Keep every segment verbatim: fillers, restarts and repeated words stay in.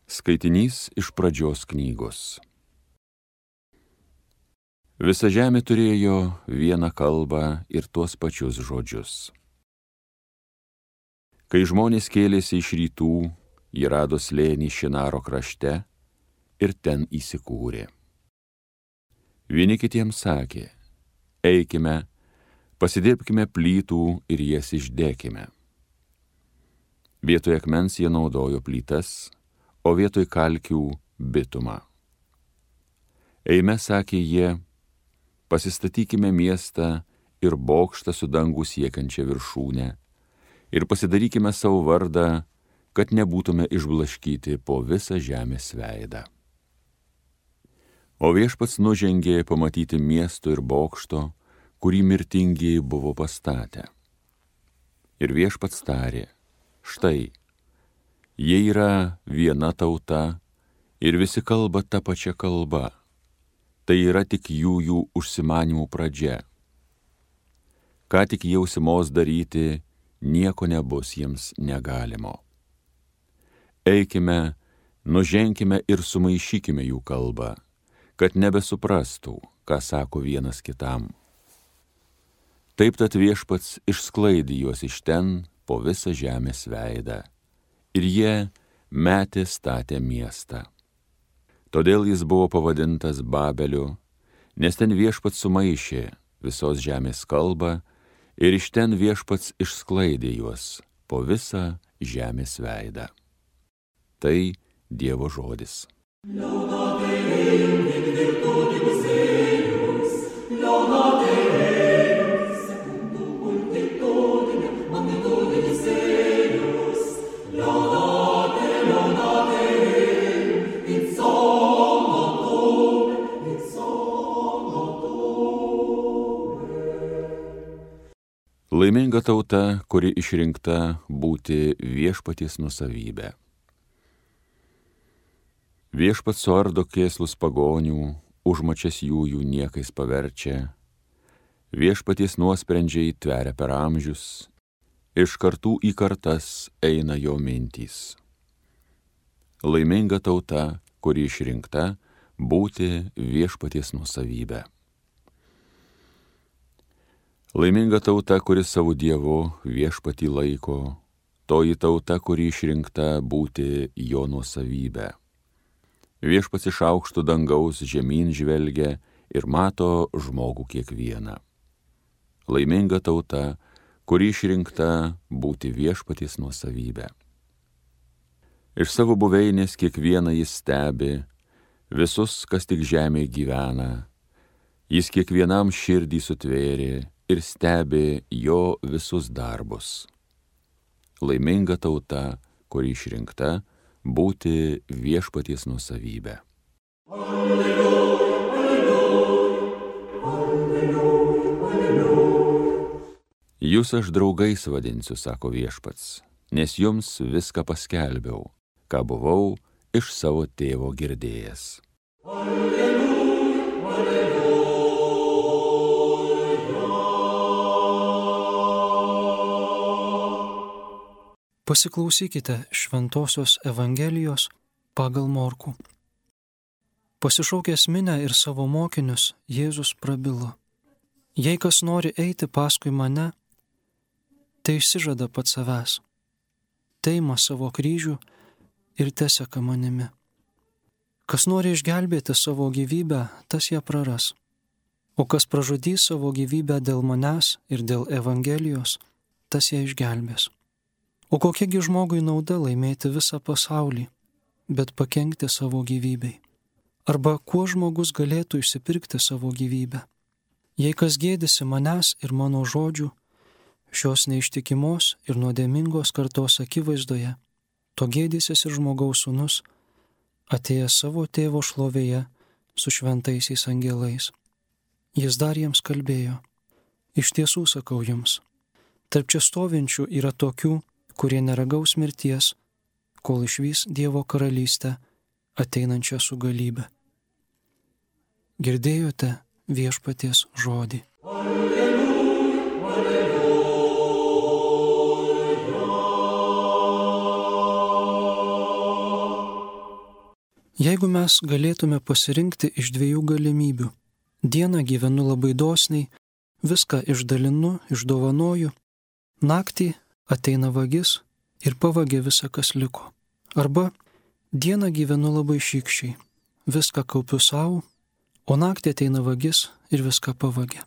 Skaitinys iš pradžios knygos. Visa žemė turėjo vieną kalbą ir tuos pačius žodžius. Kai žmonės kėlėsi iš rytų, jie rado slėnį Šinaro krašte ir ten įsikūrė. Vieni kitiems sakė: eikime, pasidirbkime plytų ir jas išdėkime. Vietoj akmens jie naudojo plytas, o vietoj kalkių bitumą. Eime, sakė jie, pasistatykime miestą ir bokštą su dangų siekiančia viršūne ir pasidarykime savo vardą, kad nebūtume išblaškyti po visą žemės veidą. O viešpats nužengė pamatyti miesto ir bokšto, kurį mirtingieji buvo pastatę. Ir viešpats tarė: štai, jie yra viena tauta ir visi kalba tą pačią kalbą. Tai yra tik jų jų užsimanimų pradžia. Ką tik jie užsimos daryti, nieko nebus jiems negalimo. Eikime, nuženkime ir sumaišykime jų kalbą, kad nebesuprastų, ką sako vienas kitam. Taip tad viešpats išsklaidė juos iš ten po visą žemės veidą, ir jie metė statę miestą. Todėl jis buvo pavadintas Babeliu, nes ten viešpats sumaišė visos žemės kalbą ir iš ten viešpats išsklaidė juos po visą žemės veidą. Tai Dievo žodis. Laiminga tauta, kuri išrinkta būti viešpaties nusavybė. Viešpats suardo kėslus pagonių, užmačias jų jų niekais paverčia. Viešpaties nuosprendžiai tveria per amžius, iš kartų į kartas eina jo mintys. Laiminga tauta, kuri išrinkta būti viešpaties nusavybė. Laiminga tauta, kuri savo Dievu viešpatį laiko, toji tauta, kuri išrinkta būti jo nuosavybė. Viešpats iš aukštų dangaus žemyn žvelgia ir mato žmogų kiekvieną. Laiminga tauta, kuri išrinkta būti viešpaties nuosavybė. Iš savo buveinės kiekvieną jis stebi, visus, kas tik žemėje gyvena. Jis kiekvienam širdį sutvėrė ir stebi jo visus darbus. Laiminga tauta, kuri išrinkta būti viešpaties nuosavybė. Alleluja, alleluja, alleluja, alleluja. Jūs aš draugais vadinsiu, sako viešpats, nes jums viską paskelbiau, ką buvau iš savo tėvo girdėjęs. Alleluja, alleluja. Pasiklausykite Šventosios Evangelijos pagal Morkų. Pasišaukęs minią ir savo mokinius, Jėzus prabilo: jei kas nori eiti paskui mane, tai išsižada pats savęs, teima savo kryžių ir teseka manimi. Kas nori išgelbėti savo gyvybę, tas ją praras, o kas pražudys savo gyvybę dėl manęs ir dėl Evangelijos, tas ją išgelbės. O kokiagi žmogui nauda laimėti visą pasaulį, bet pakenkti savo gyvybei? Arba kuo žmogus galėtų išsipirkti savo gyvybę? Jei kas gėdisi manęs ir mano žodžių, šios neištikimos ir nuodėmingos kartos akivaizdoje, to gėdysis ir žmogaus sūnus, atėjęs savo tėvo šlovėje su šventaisiais angelais. Jis dar jiems kalbėjo: iš tiesų sakau jums, tarp čia stovinčių yra tokių, kurie neragaus mirties, kol išvys Dievo karalystę ateinančią su galybe. Girdėjote viešpaties žodį. Alleluja, alleluja. Jeigu mes galėtume pasirinkti iš dviejų galimybių, dieną gyvenu labai dosniai, viską išdalinu, išdovanoju, naktį ateina vagis ir pavagia visą, kas liko. Arba dieną gyvenu labai šykščiai, viską kaupiu savo, o naktį ateina vagis ir viską pavagia.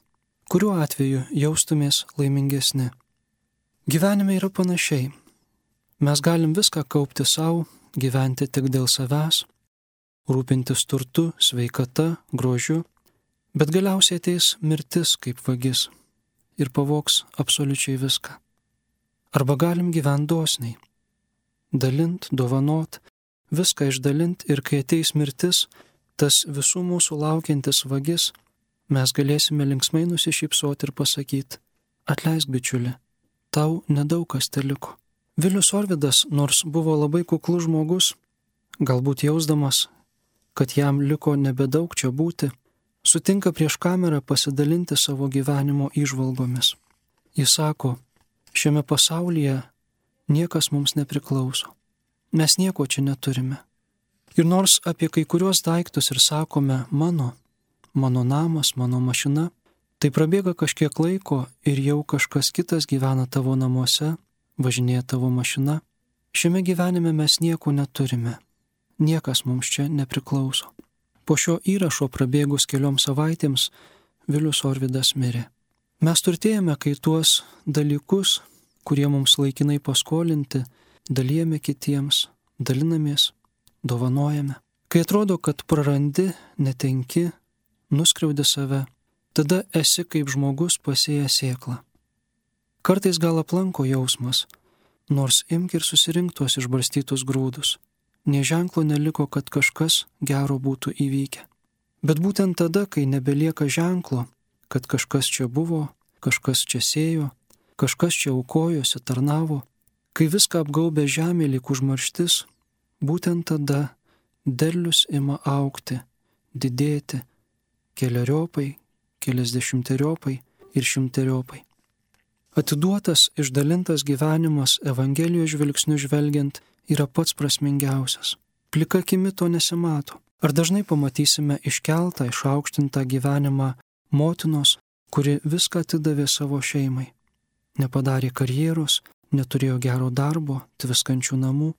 Kuriuo atveju jaustumės laimingesni? Gyvenime yra panašiai. Mes galim viską kaupti savo, gyventi tik dėl savęs, rūpintis turtu, sveikata, grožiu, bet galiausiai ateis mirtis kaip vagis ir pavogs absoliučiai viską. Arba galim gyventi dosniai, dalint, dovanot, viską išdalint ir kai ateis mirtis, tas visų mūsų laukiantis vagis, mes galėsime linksmai nusišypsoti ir pasakyti: atleisk, bičiuli, tau nedaug kas teliko. Vilius Orvidas, nors buvo labai kuklus žmogus, galbūt jausdamas, kad jam liko nebedaug čia būti, sutinka prieš kamerą pasidalinti savo gyvenimo įžvalgomis. Jis sako: šiame pasaulyje niekas mums nepriklauso. Mes nieko čia neturime. Ir nors apie kai kuriuos daiktus ir sakome mano, mano namas, mano mašina, tai prabėga kažkiek laiko ir jau kažkas kitas gyvena tavo namuose, važinėja tavo mašina. Šiame gyvenime mes nieko neturime. Niekas mums čia nepriklauso. Po šio įrašo prabėgus kelioms savaitėms Vilius Orvidas mirė. Mes turtėjame, kai tuos dalykus, kurie mums laikinai paskolinti, dalijame kitiems, dalinamės, dovanojame. Kai atrodo, kad prarandi, netenki, nuskriaudi save, tada esi kaip žmogus pasėjęs sėklą. Kartais gal aplanko jausmas, nors imk ir susirink tuos išbarstytus grūdus. Nė ženklo neliko, kad kažkas gero būtų įvykę. Bet būtent tada, kai nebelieka ženklo, kad kažkas čia buvo, kažkas čia sėjo, kažkas čia aukojosi, tarnavo, kai viską apgaubė žemė lyg užmarštis, būtent tada derlius ima augti, didėti, keleriopai, keliasdešimteriopai ir šimteriopai. Atiduotas, išdalintas gyvenimas Evangelijos žvilgsniu žvelgiant yra pats prasmingiausias. Plika akimi to nesimato. Ar dažnai pamatysime iškeltą, išaukštintą gyvenimą motinos, kuri viską atidavė savo šeimai. Nepadarė karjeros, neturėjo gero darbo, tviskančių namų,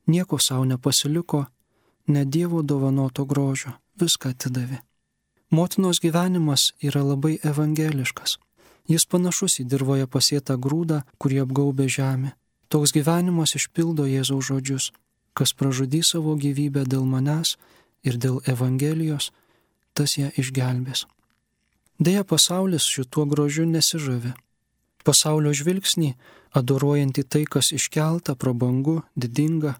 nieko savo nepasiliko, ne Dievo dovanoto grožio, viską atidavė. Motinos gyvenimas yra labai evangeliškas. Jis panašus į dirvoje pasėtą grūdą, kurį apgaubė žemė. Toks gyvenimas išpildo Jėzaus žodžius: kas pražudys savo gyvybę dėl manęs ir dėl Evangelijos, tas ją išgelbės. Deja, pasaulis šituo grožiu nesižavi. Pasaulio žvilgsnį, adoruojantį tai, kas iškelta, prabangu, didinga,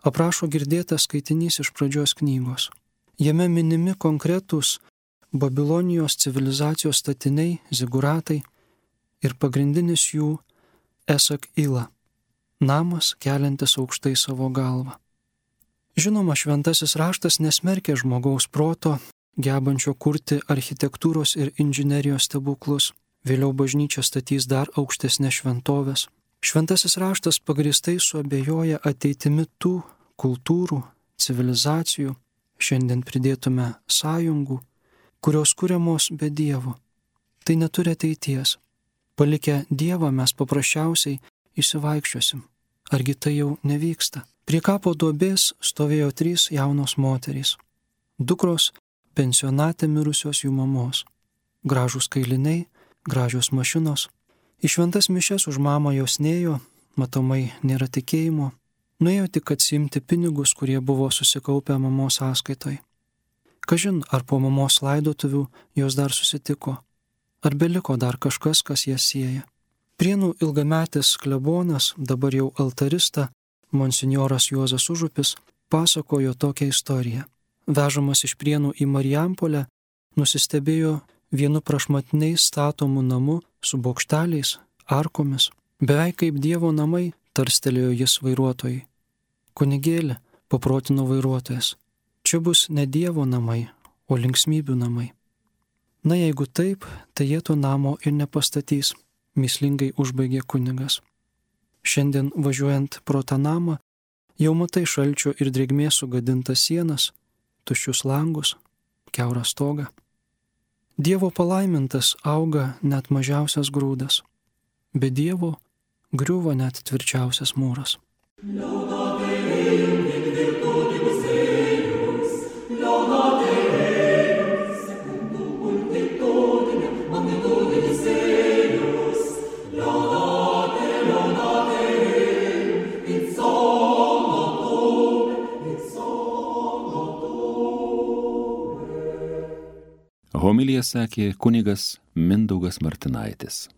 aprašo girdėtas skaitinys iš pradžios knygos. Jame minimi konkretūs Babilonijos civilizacijos statiniai, ziguratai ir pagrindinis jų Esak Ila, namas keliantis aukštai savo galvą. Žinoma, šventasis raštas nesmerkia žmogaus proto, gebančio kurti architektūros ir inžinerijos stebuklus. Vėliau bažnyčia statys dar aukštesnės šventovės. Šventasis raštas pagrįstai suabejoja ateitimi tų kultūrų, civilizacijų, šiandien pridėtume sąjungų, kurios kuriamos be Dievo. Tai neturi ateities. Palikę Dievą mes paprasčiausiai išsivaikščiosim. Argi tai jau nevyksta? Prie kapo duobės stovėjo trys jaunos moterys. Dukros pensionate mirusios jų mamos. Gražūs kailiniai, gražios mašinos. Į šventas mišias už mamą jos nėjo, matomai nėra tikėjimo. Nuėjo tik atsiimti pinigus, kurie buvo susikaupę mamos sąskaitoj. Kažin, ar po mamos laidotuvių jos dar susitiko. Ar beliko dar kažkas, kas jas sieja? Prienų ilgametis klebonas, dabar jau altarista, monsinjoras Juozas Užupis, pasakojo tokią istoriją. Vežamas iš Prienų į Marijampolę, nusistebėjo vienu prašmatniais statomų namu su bokšteliais, arkomis. Beveik kaip Dievo namai, tarstelėjo jis vairuotojai. Kunigėli, paprotino vairuotojas, čia bus ne Dievo namai, o linksmybių namai. Na jeigu taip, tai jie to namo ir nepastatys, mįslingai užbaigė kunigas. Šiandien važiuojant pro tą namą, Jau matai šalčio ir drėgmės sugadintas sienas, tuščius langus, kiaurą stogą. Dievo palaimintas auga net mažiausias grūdas, be Dievo griuvo net tvirčiausias mūras. Homiliją sakė kunigas Mindaugas Martinaitis.